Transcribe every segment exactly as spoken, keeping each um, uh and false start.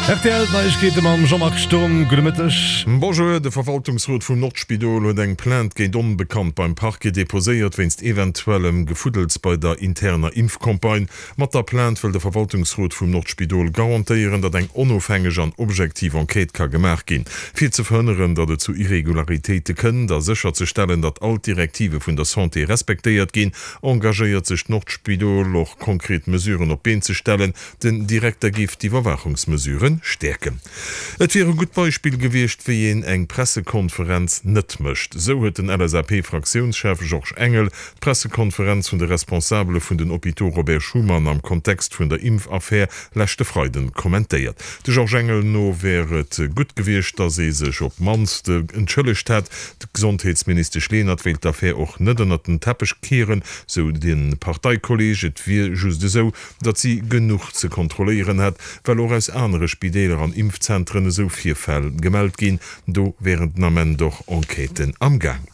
Rtl Neiegkeete mam Jean-Marc Sturm, gudde Mëtteg. Bonjour, De Verwaltungsrot vum Nordspidol huet eng Plainte géint Onbekannt beim Parquet deposéiert wéinst eventuellem Gefuddels bei der interner Impfcampagne. Mat der Plainte wëll de Verwaltungsrot vum Nordspidol garantéieren, datt eng onofhängeg an objektiv Enquête ka gemaach ginn, fir ze verhënneren, datt et zu Irregularitéite kënnt a sécherzestellen, datt all d'Direktive vun der Santé respektéiert ginn, engagéiert sech d'Nordspidol och konkret Mesuren op d'Been ze stellen. Den Direkter géif d'Iwwerwaachungsmesuren stäerken. Et wier e gutt Beispill gewiescht, wéi een eng Pressekonferenz net mécht. Esou huet den LSAP-Fraktiounschef Georges Engel d'Pressekonferenz vun de Responsabele vun den Hôpitaux Robert Schuman am Kontext vun der Impfaffär leschte Freiden kommentéiert. De Georges Engel no wär et gutt gewiescht, datt ee sech op d'mannst entschëllegt hätt. D'Gesondheetsministesch Lenert wéilt d'Affär och net ënnert den Teppech kieren, sou de Parteikolleeg. Et wier just esou, datt si genuch ze kontrolléieren hätt, well och aus anere Spideeler an Impfzentren esou Virfäll gemellt ginn. Do wären den Ament och Enquêten am Gaang.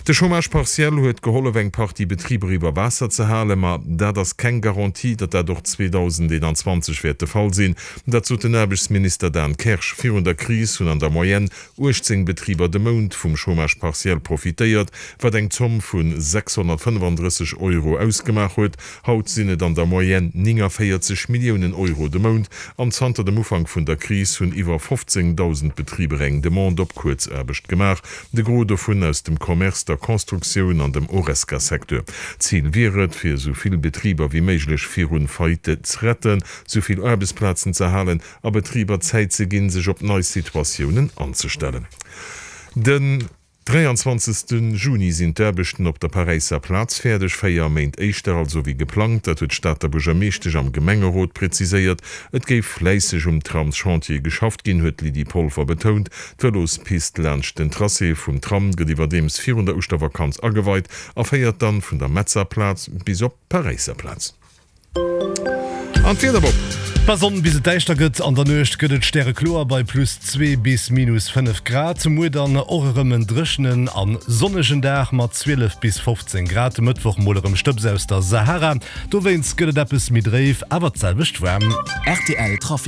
De Chômage partiel huet gehollef eng Partie Betriber iwwer Waasser ze halen, ma dat ass keng Garantie, datt dat och zweedausendeenanzwanzeg wäert de Fall sinn. Dat sot den Aarbechtsminister Dan Kersch. Virun der Kris hunn an der Moyenne uechtzéng Betriber de Mount vum Chômage partiel profitéiert, wat eng Zomm vu sechshonnertfënnefandrësseg Euro ausgemaach huet. Haut sinn et an der Moyenne néngunvéierzeg Milliounen Euro de Mount an zanter dem Ufank vun der Kris hunn iwwer fofzéngdausend Betriber eng Demande op Kuerzaarbecht gemaach, de Gros dovun aus dem Commerce, der Constructioun an dem Horesca-Secteur. Zil wier et, fir esou vill Betriber wéi méiglech virun Faillite ze retten, esou vill Aarbechtsplazen ze erhalen a Betriber Zäit ze ginn, sech op nei Situatiounen anzestellen. Den dräianzwanzegste Juni sinn d'Aarbechten op der Paräisser Plaz fäerdeg, véier Méint éischter also wéi geplangt. Dat huet d'Stater Buergermeeschtesch am Gemengerot präziséiert. Et géif fläisseg um Tramschantier geschafft ginn, huet d'Lydie Polfer betount. D'Vëlospist laanscht den Tracé vum Tram gëtt iwwerdeems virun der Ouschtervakanz ageweit a féiert dann vun der Metzer Plaz bis op d'Paräisser Plaz. An d'Wieder, Bob? Bei Sonn bis et däischter gëtt, an der Nuecht gëtt et stärekloer bei plus zwee bis minus fënnef Grad. Muer dann och erëm en dréchenen a sonnegen Dag mat zwielef bis fofzéng Grad. De Mëttwoch mol erëm Stëbs aus der Sahara, dowéinst gëtt et eppes méi dréif, awer d'selwecht waarm. Rtl Trafic.